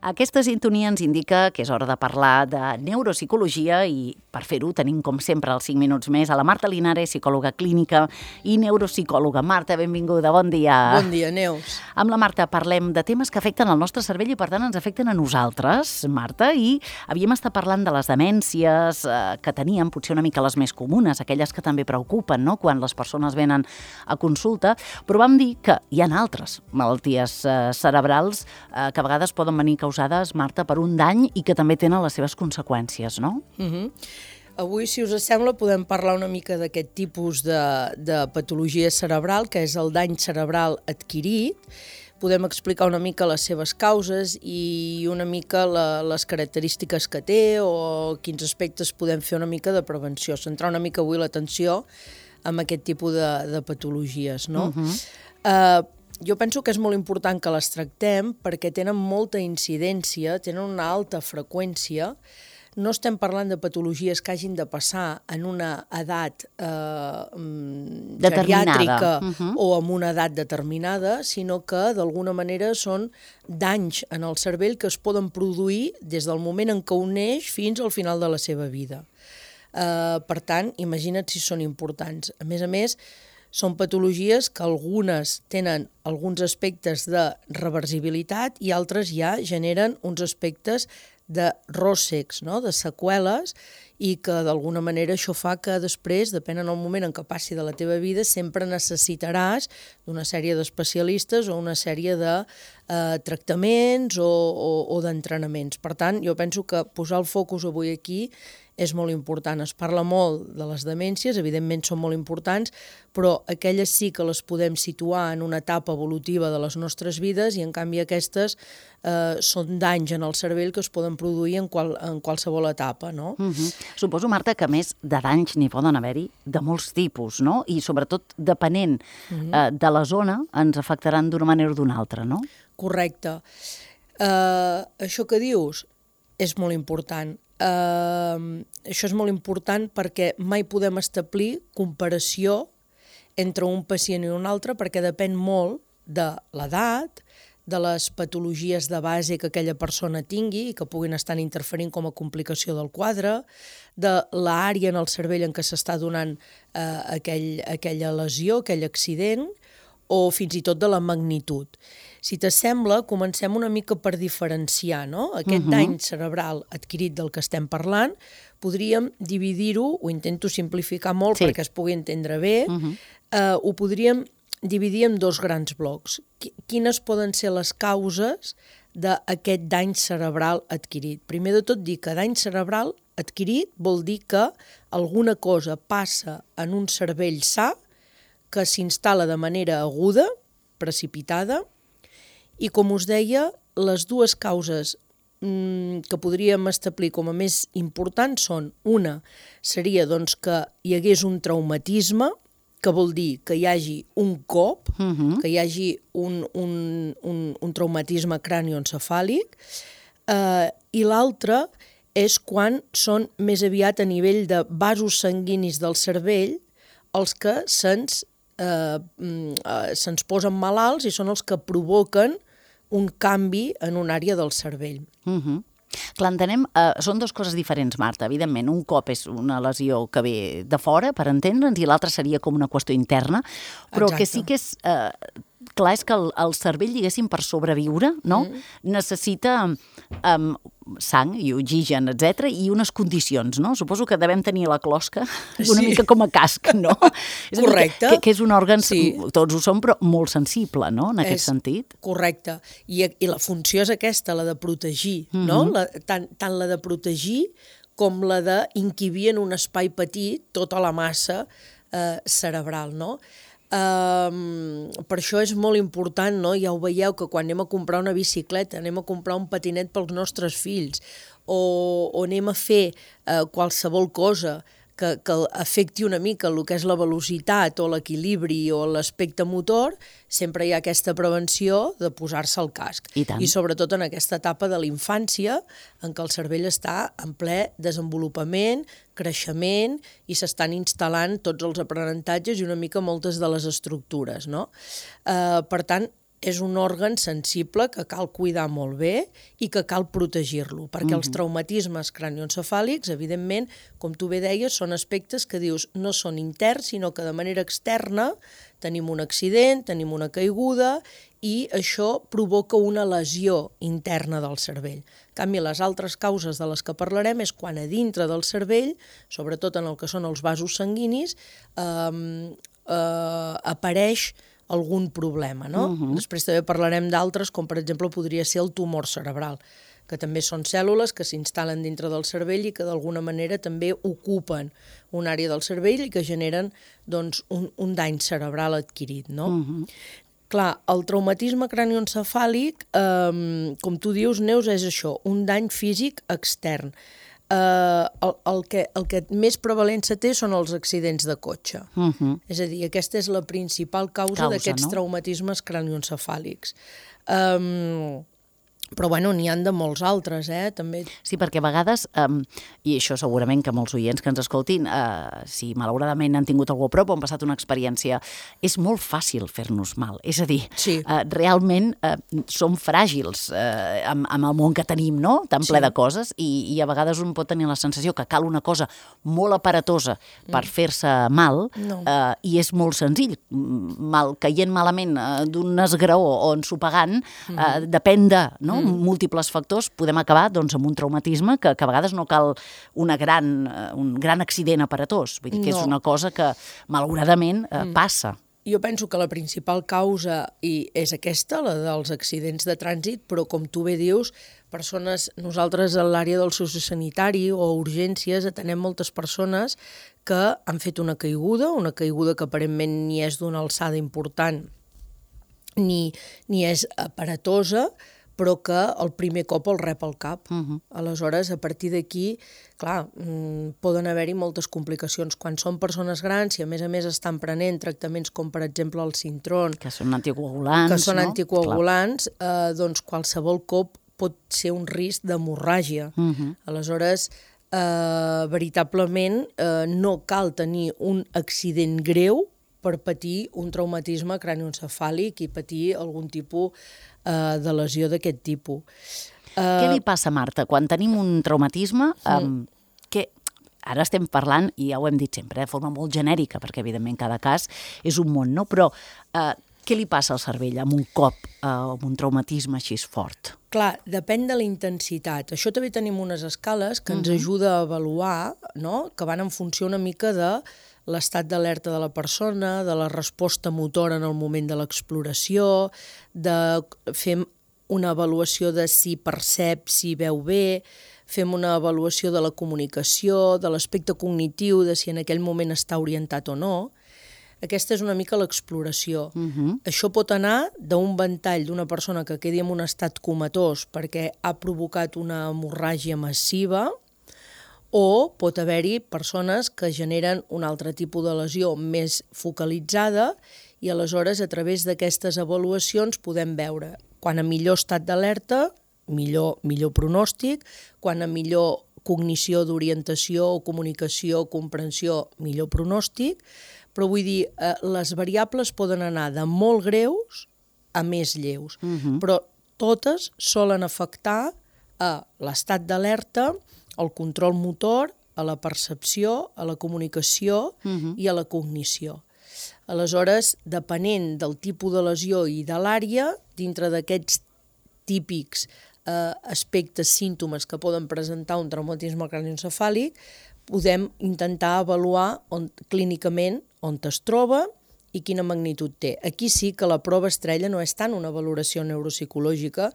Aquesta sintonia ens indica que és hora de parlar de neuropsicologia i per fer-ho tenim, com sempre, els 5 minuts més a la Marta Linares, psicòloga clínica i neuropsicòloga. Marta, benvinguda, bon dia. Bon dia, Neus. Amb la Marta parlem de temes que afecten el nostre cervell i, per tant, ens afecten a nosaltres, Marta, i havíem estat parlant de les demències que teníem, potser una mica les més comunes, aquelles que també preocupen, no?, quan les persones venen a consulta, però vam dir que hi ha altres malalties cerebrals que a vegades poden venir causades, Marta, per un dany i que també tenen les seves conseqüències, no? Avui, si us sembla, podem parlar una mica d'aquest tipus de patologia cerebral, que és el dany cerebral adquirit. Podem explicar una mica les seves causes i una mica les característiques que té o quins aspectes podem fer una mica de prevenció. Centrar una mica avui l'atenció en aquest tipus de patologies, no? Jo penso que és molt important que les tractem perquè tenen molta incidència, tenen una alta freqüència. No estem parlant de patologies que hagin de passar en una edat geriàtrica o en una edat determinada, sinó que d'alguna manera són danys en el cervell que es poden produir des del moment en què un neix fins al final de la seva vida. Per tant, imagina't si són importants. A més, són patologies que algunes tenen alguns aspectes de reversibilitat i altres ja generen uns aspectes de ròssecs, no?, de seqüeles, i que d'alguna manera això fa que després, depèn en el moment en què passi de la teva vida, sempre necessitaràs d'una sèrie d'especialistes o una sèrie de tractaments o d'entrenaments. Per tant, jo penso que posar el focus avui aquí és molt important. Es parla molt de les demències, evidentment són molt importants, però aquelles sí que les podem situar en una etapa evolutiva de les nostres vides i en canvi aquestes són danys en el cervell que es poden produir en qualsevol etapa, no? Suposo, Marta, que a més de danys n'hi poden haver-hi de molts tipus, no? I sobretot depenent de la zona ens afectaran d'una manera o d'una altra, no? Correcte. Això que dius és molt important. Això és molt important perquè mai podem establir comparació entre un pacient i un altre perquè depèn molt de l'edat, de les patologies de base que aquella persona tingui i que puguin estar interferint com a complicació del quadre, de l'àrea en el cervell en què s'està donant aquella lesió, aquell accident, o fins i tot de la magnitud. Si t'assembla, comencem una mica per diferenciar, no? Aquest dany cerebral adquirit del que estem parlant, podríem dividir-ho, ho intento simplificar molt perquè es pugui entendre bé, ho podríem dividir en dos grans blocs. Quines poden ser les causes d'aquest dany cerebral adquirit? Primer de tot, dir que dany cerebral adquirit vol dir que alguna cosa passa en un cervell sa que s'instal·la de manera aguda, precipitada, i com us deia, les dues causes que podríem establir com a més importants són, una seria doncs, que hi hagués un traumatisme, que vol dir que hi hagi un cop, que hi hagi un traumatisme cranioencefàlic, i l'altre és quan són més aviat a nivell de vasos sanguinis del cervell els que se'ns posen malalts i són els que provoquen un canvi en una àrea del cervell. Clar, entenem, són dues coses diferents, Marta. Evidentment, un cop és una lesió que ve de fora, per entendre'ns, i l'altra seria com una qüestió interna, però que sí que és... Clar, és que el cervell, diguéssim, per sobreviure, no?, necessita sang i oxigen, etc i unes condicions, no? Suposo que devem tenir la closca una mica com a casc, no? Correcte. Que és un òrgan, tots ho som, però molt sensible, no?, en aquest sentit. Correcte. I la funció és aquesta, la de protegir, no? Tant la de protegir com la d'inquibir en un espai petit tota la massa cerebral, no? Per això és molt important, no? Ja ho veieu, que quan anem a comprar una bicicleta, anem a comprar un patinet pels nostres fills o anem a fer qualsevol cosa que afecti una mica el que és la velocitat o l'equilibri o l'aspecte motor, sempre hi ha aquesta prevenció de posar-se el casc. I sobretot en aquesta etapa de la infància en què el cervell està en ple desenvolupament, creixement i s'estan instal·lant tots els aprenentatges i una mica moltes de les estructures, no? Per tant, és un òrgan sensible que cal cuidar molt bé i que cal protegir-lo, perquè els traumatismes cranioencefàlics, evidentment, com tu bé deies, són aspectes que dius no són interns, sinó que de manera externa tenim un accident, tenim una caiguda i això provoca una lesió interna del cervell. En canvi, les altres causes de les que parlarem és quan a dintre del cervell, sobretot en el que són els vasos sanguinis, apareix algun problema, no? Després també parlarem d'altres, com per exemple podria ser el tumor cerebral, que també són cèl·lules que s'instal·len dintre del cervell i que d'alguna manera també ocupen una àrea del cervell i que generen doncs, un dany cerebral adquirit, no? Clar, el traumatisme cranioencefàlic, com tu dius, Neus, és això, un dany físic extern. El que més prevalença té són els accidents de cotxe. És a dir, aquesta és la principal causa d'aquests traumatismes cranioencefàlics. Però, bueno, n'hi han de molts altres, també. Sí, perquè a vegades, i això segurament que molts oients que ens escoltin, si malauradament han tingut algú a prop o han passat una experiència, és molt fàcil fer-nos mal. És a dir, realment som fràgils amb el món que tenim, no? Tan ple de coses, i a vegades un pot tenir la sensació que cal una cosa molt aparatosa per fer-se mal, i és molt senzill. Caient malament d'un esgraó o ensopegant, depèn de, no? Múltiples factors, podem acabar doncs, amb un traumatisme que a vegades no cal un gran accident aparatós. Vull dir que és una cosa que, malauradament, passa. Jo penso que la principal causa és aquesta, la dels accidents de trànsit, però com tu bé dius, nosaltres a l'àrea del sociosanitari o urgències atenem moltes persones que han fet una caiguda que aparentment ni és d'una alçada important ni és aparatosa, però que el primer cop el rep al cap. Aleshores, a partir d'aquí, clar, poden haver-hi moltes complicacions. Quan són persones grans i a més estan prenent tractaments com per exemple el Sintron, que són anticoagulants, anticoagulants, doncs qualsevol cop pot ser un risc d'hemorràgia. Aleshores, veritablement no cal tenir un accident greu per patir un traumatisme cranioencefàlic i patir algun tipus de lesió d'aquest tipus. Què li passa, Marta, quan tenim un traumatisme que ara estem parlant, i ja ho hem dit sempre, de forma molt genèrica, perquè evidentment cada cas és un món, no? Però què li passa al cervell amb un cop, amb un traumatisme així fort? Clar, depèn de la intensitat. Això també tenim unes escales que ens ajuda a avaluar, no? Que van en funció una mica de l'estat d'alerta de la persona, de la resposta motora en el moment de l'exploració, de fer una avaluació de si percep, si veu bé, fem una avaluació de la comunicació, de l'aspecte cognitiu, de si en aquell moment està orientat o no. Aquesta és una mica l'exploració. Això pot anar d'un ventall d'una persona que quedi en un estat comatós perquè ha provocat una hemorràgia massiva, o pot haver-hi persones que generen un altre tipus de lesió més focalitzada i aleshores a través d'aquestes avaluacions podem veure quan a millor estat d'alerta, millor pronòstic, quan a millor cognició d'orientació o comunicació, comprensió, millor pronòstic, però vull dir, les variables poden anar de molt greus a més lleus, però totes solen afectar a l'estat d'alerta, al control motor, a la percepció, a la comunicació i a la cognició. Aleshores, depenent del tipus de lesió i de l'àrea, dintre d'aquests típics aspectes, símptomes que poden presentar un traumatisme cranioencefàlic, podem intentar avaluar clínicament on es troba i quina magnitud té. Aquí sí que la prova estrella no és tant una valoració neuropsicològica,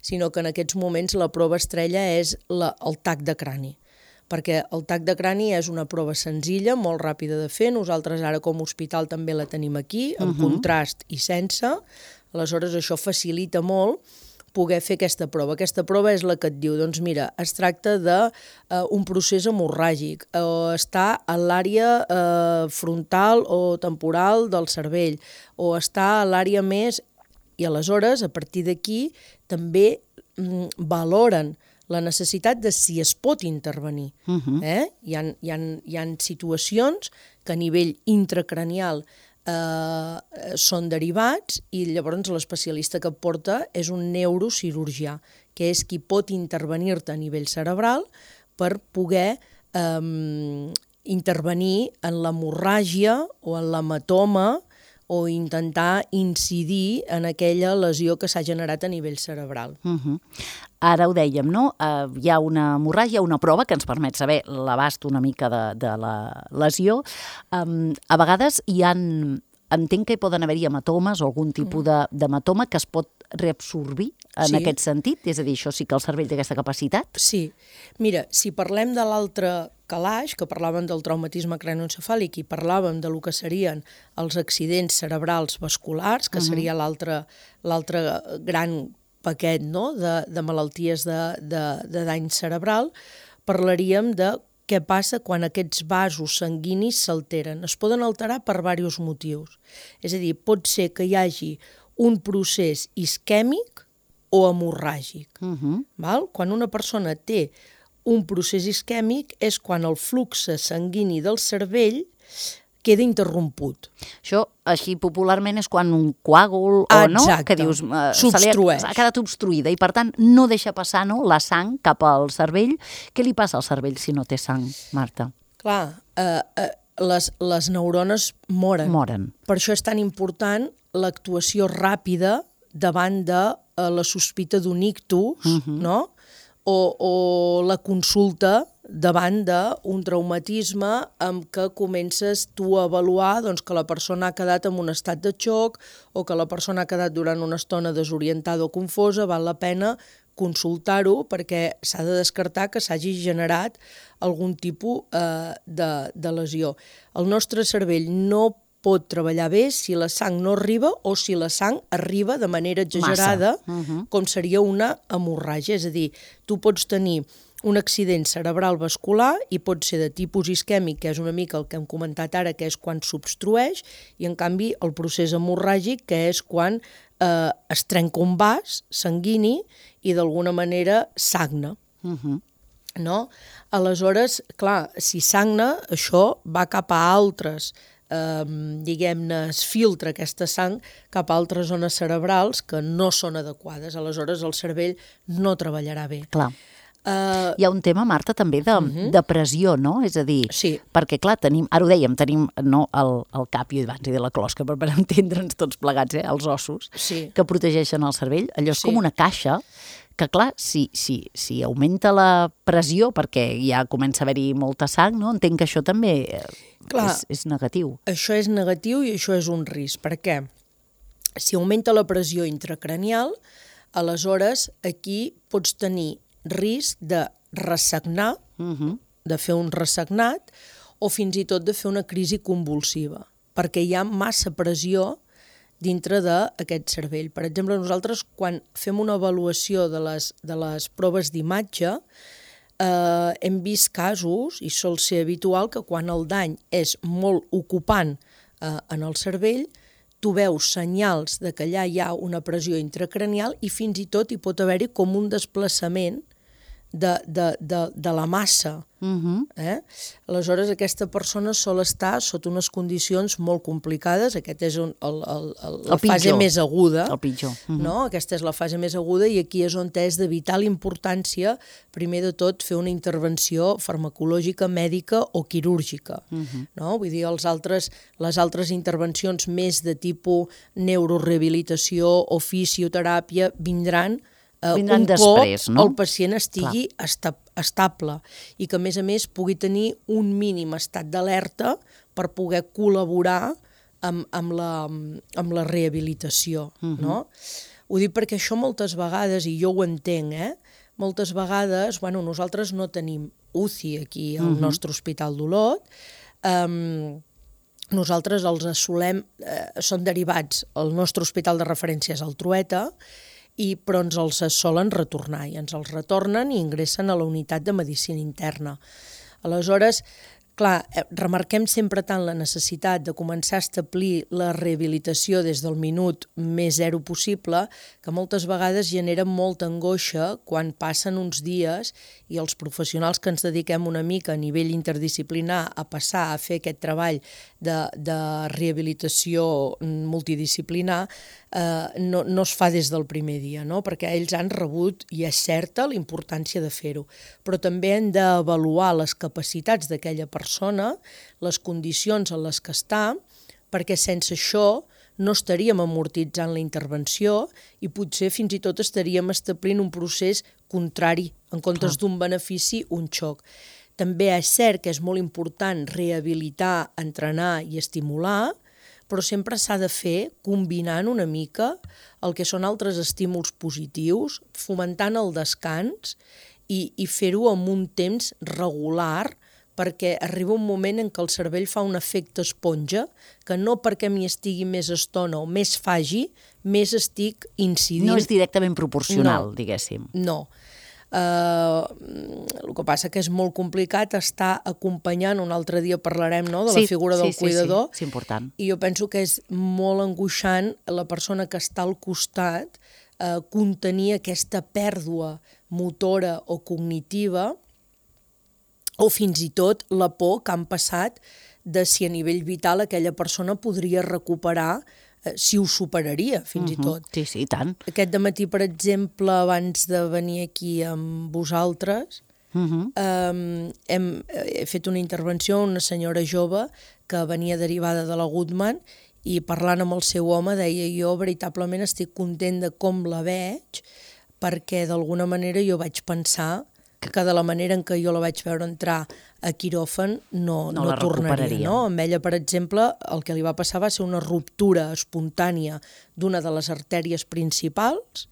sinó que en aquests moments la prova estrella és el tac de crani, perquè el tac de crani és una prova senzilla, molt ràpida de fer. Nosaltres ara com a hospital també la tenim aquí, amb contrast i sense. Aleshores això facilita molt poder fer aquesta prova. Aquesta prova és la que et diu, doncs mira, es tracta d'un procés hemorràgic, o està a l'àrea frontal o temporal del cervell, o està a l'àrea més... I aleshores, a partir d'aquí, també valoren la necessitat de si es pot intervenir. Hi ha situacions que a nivell intracranial són derivats i llavors l'especialista que et porta és un neurocirurgià, que és qui pot intervenir-te a nivell cerebral per poder intervenir en l'hemorràgia o en l'hematoma o intentar incidir en aquella lesió que s'ha generat a nivell cerebral. Ara ho dèiem, no? Hi ha una hemorràgia, una prova que ens permet saber l'abast una mica de la lesió. A vegades entenc que hi poden haver-hi hematomes o algun tipus d'hematoma que es pot reabsorbir en aquest sentit? És a dir, això sí que el cervell té aquesta capacitat? Sí. Mira, si parlem de l'altre calaix, que parlàvem del traumatisme cranioencefàlic i parlàvem de lo que serien els accidents cerebrals vasculars, que seria l'altre gran paquet, no?, de malalties de dany cerebral, parlaríem de què passa quan aquests vasos sanguinis s'alteren. Es poden alterar per diversos motius. És a dir, pot ser que hi hagi un procés isquèmic o hemorràgic. Val? Quan una persona té un procés isquèmic és quan el flux sanguini del cervell queda interromput. Això, així popularment, és quan un coàgul o no, que dius, s'obstrueix. Ha quedat obstruïda i, per tant, no deixa passar la sang cap al cervell. Què li passa al cervell si no té sang, Marta? Clar, les neurones moren. Per això és tan important l'actuació ràpida davant de la sospita d'un ictus, no?, o la consulta davant d'un traumatisme amb què comences tu a avaluar que la persona ha quedat en un estat de xoc o que la persona ha quedat durant una estona desorientada o confosa, val la pena consultar-ho perquè s'ha de descartar que s'hagi generat algun tipus de lesió. El nostre cervell no pot treballar bé si la sang no arriba o si la sang arriba de manera exagerada, com seria una hemorràgia. És a dir, tu pots tenir un accident cerebral vascular i pot ser de tipus isquèmic, que és una mica el que hem comentat ara, que és quan s'obstrueix, i en canvi el procés hemorràgic, que és quan es trenca un vas sanguini i d'alguna manera sagna. No? Aleshores, clar, si sagna, això va cap a altres diguem-ne, es filtra aquesta sang cap a altres zones cerebrals que no són adequades. Aleshores, el cervell no treballarà bé. Clar. Hi ha un tema, Marta, també de pressió, no? És a dir, perquè, clar, ara ho dèiem, tenim el cap, i abans de la closca, per entendre'ns tots plegats, els ossos, que protegeixen el cervell. Allò és com una caixa que, clar, si augmenta la pressió, perquè ja comença a haver-hi molta sang, no? Entenc que això també és negatiu. Això és negatiu i això és un risc. Per què? Si augmenta la pressió intracranial, aleshores aquí pots tenir risc de ressagnar, de fer un ressagnat, o fins i tot de fer una crisi convulsiva, perquè hi ha massa pressió dintre d'aquest cervell. Per exemple, nosaltres, quan fem una avaluació de les proves d'imatge, hem vist casos, i sol ser habitual, que quan el dany és molt ocupant en el cervell, tu veus senyals de que allà hi ha una pressió intracranial i fins i tot hi pot haver-hi com un desplaçament de la massa. Aleshores, aquesta persona sol estar sota unes condicions molt complicades. Aquesta és la fase més aguda. El pitjor. Aquesta és la fase més aguda i aquí és on és de vital importància, primer de tot, fer una intervenció farmacològica, mèdica o quirúrgica. Vull dir, les altres intervencions més de tipus neurorehabilitació o fisioteràpia vindran després, no? El pacient estigui estable i que, a més, pugui tenir un mínim estat d'alerta per poder col·laborar amb la rehabilitació. Ho dic perquè això moltes vegades, i jo ho entenc, moltes vegades, nosaltres no tenim UCI aquí al nostre Hospital d'Olot, nosaltres els assolem, són derivats, el nostre hospital de referència és el Trueta, però ens els solen retornar i ens els retornen i ingressen a la unitat de medicina interna. Aleshores, Clar, remarquem sempre tant la necessitat de començar a establir la rehabilitació des del minut més zero possible, que moltes vegades genera molta angoixa quan passen uns dies i els professionals que ens dediquem una mica a nivell interdisciplinar a passar a fer aquest treball de rehabilitació multidisciplinar no es fa des del primer dia, no? Perquè ells han rebut, i és certa, la importància de fer-ho, però també hem d'avaluar les capacitats d'aquella persona, les condicions en les que està, perquè sense això no estaríem amortitzant la intervenció i potser fins i tot estaríem establint un procés contrari, en comptes d'un benefici, un xoc. També és cert que és molt important rehabilitar, entrenar i estimular, però sempre s'ha de fer combinant una mica el que són altres estímuls positius, fomentant el descans i fer-ho amb un temps regular, perquè arriba un moment en què el cervell fa un efecte esponja, que no perquè m'hi estigui més estona o més faci, més estic incidint. No és directament proporcional, diguéssim. No. El que passa que és molt complicat estar acompanyant, un altre dia parlarem de la figura del cuidador, sí, és important. I jo penso que és molt angoixant la persona que està al costat contenir aquesta pèrdua motora o cognitiva, o fins i tot la por que han passat de si a nivell vital aquella persona podria recuperar, si ho superaria, fins i tot. Sí, sí, i tant. Aquest dematí, per exemple, abans de venir aquí amb vosaltres, he fet una intervenció a una senyora jove que venia derivada de la Goodman i parlant amb el seu home deia jo veritablement estic content de com la veig perquè d'alguna manera jo vaig pensar que de la manera en què jo la vaig veure entrar a quiròfan no tornaria. No? Amb ella, per exemple, el que li va passar va ser una ruptura espontània d'una de les artèries principals.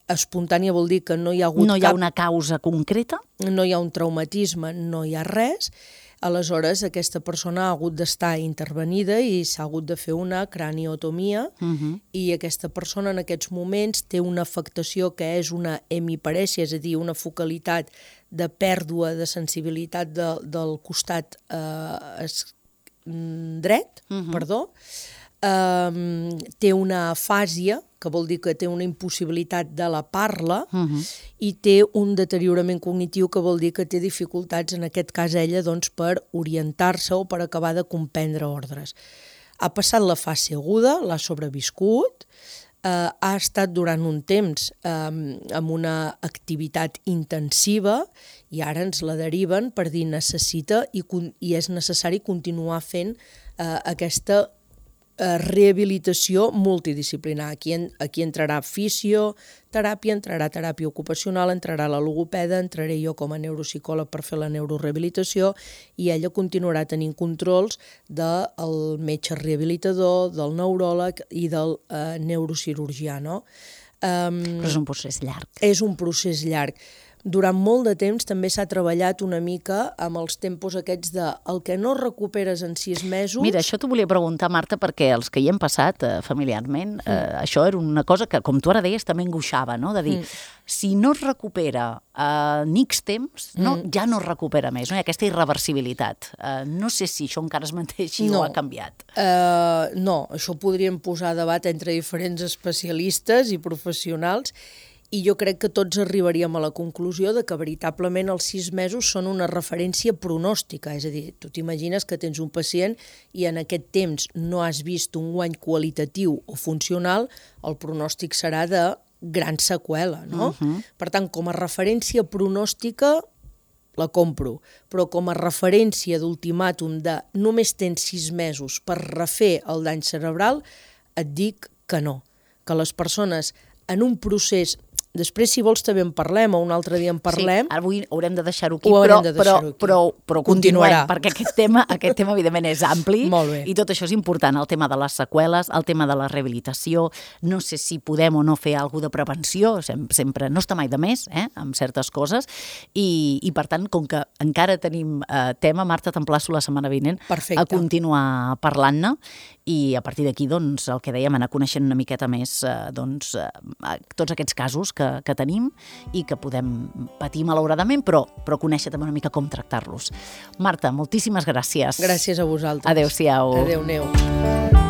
Espontània vol dir que no hi ha hagut no hi ha una causa concreta? No hi ha un traumatisme, no hi ha res. Aleshores, aquesta persona ha hagut d'estar intervenida i s'ha hagut de fer una craniotomia i aquesta persona en aquests moments té una afectació que és una hemiparèsia, és a dir, una focalitat de pèrdua de sensibilitat del costat dret, té una afàsia, que vol dir que té una impossibilitat de la parla, i té un deteriorament cognitiu, que vol dir que té dificultats, en aquest cas ella, per orientar-se o per acabar de comprendre ordres. Ha passat la fase aguda, l'ha sobreviscut, ha estat durant un temps amb una activitat intensiva i ara ens la deriven per dir necessita i és necessari continuar fent aquesta rehabilitació multidisciplinar. Aquí entrarà fisioteràpia, entrarà teràpia ocupacional, entrarà la logopeda, entraré jo com a neuropsicòleg per fer la neurorehabilitació i ella continuarà tenint controls del metge rehabilitador, del neuròleg i del neurocirurgià. No? Però és un procés llarg. És un procés llarg. Durant molt de temps també s'ha treballat una mica amb els tempos aquests de el que no recuperes en 6 mesos... Mira, això t'ho volia preguntar, Marta, perquè els que hi hem passat familiarment, això era una cosa que, com tu ara deies, també angoixava, no? De dir, si no es recupera en X temps, ja no es recupera més, no? Hi ha aquesta irreversibilitat. No sé si això encara es manté així o ha canviat. No, això ho podríem posar a debat entre diferents especialistes i professionals. I jo crec que tots arribaríem a la conclusió de que veritablement els 6 mesos són una referència pronòstica. És a dir, tu t'imagines que tens un pacient i en aquest temps no has vist un guany qualitatiu o funcional, el pronòstic serà de gran seqüela, no? Per tant, com a referència pronòstica la compro, però com a referència d'ultimàtum de només tens 6 mesos per refer el dany cerebral, et dic que no. Que les persones en un procés... Després, si vols, també en parlem, o un altre dia en parlem. Sí, avui haurem de deixar-ho aquí, però continuem, perquè aquest tema, evidentment, és ampli, i tot això és important, el tema de les seqüeles, el tema de la rehabilitació, no sé si podem o no fer alguna de prevenció, sempre no està mai de més, amb certes coses, i per tant, com que encara tenim tema, Marta, t'emplaço la setmana vinent a continuar parlant-ne, i a partir d'aquí, doncs, el que dèiem, anar coneixent una miqueta més, tots aquests casos que que tenim i que podem patir malauradament, però conèixer també una mica com tractar-los. Marta, moltíssimes gràcies. Gràcies a vosaltres. Adéu-siau. Adéu-neu.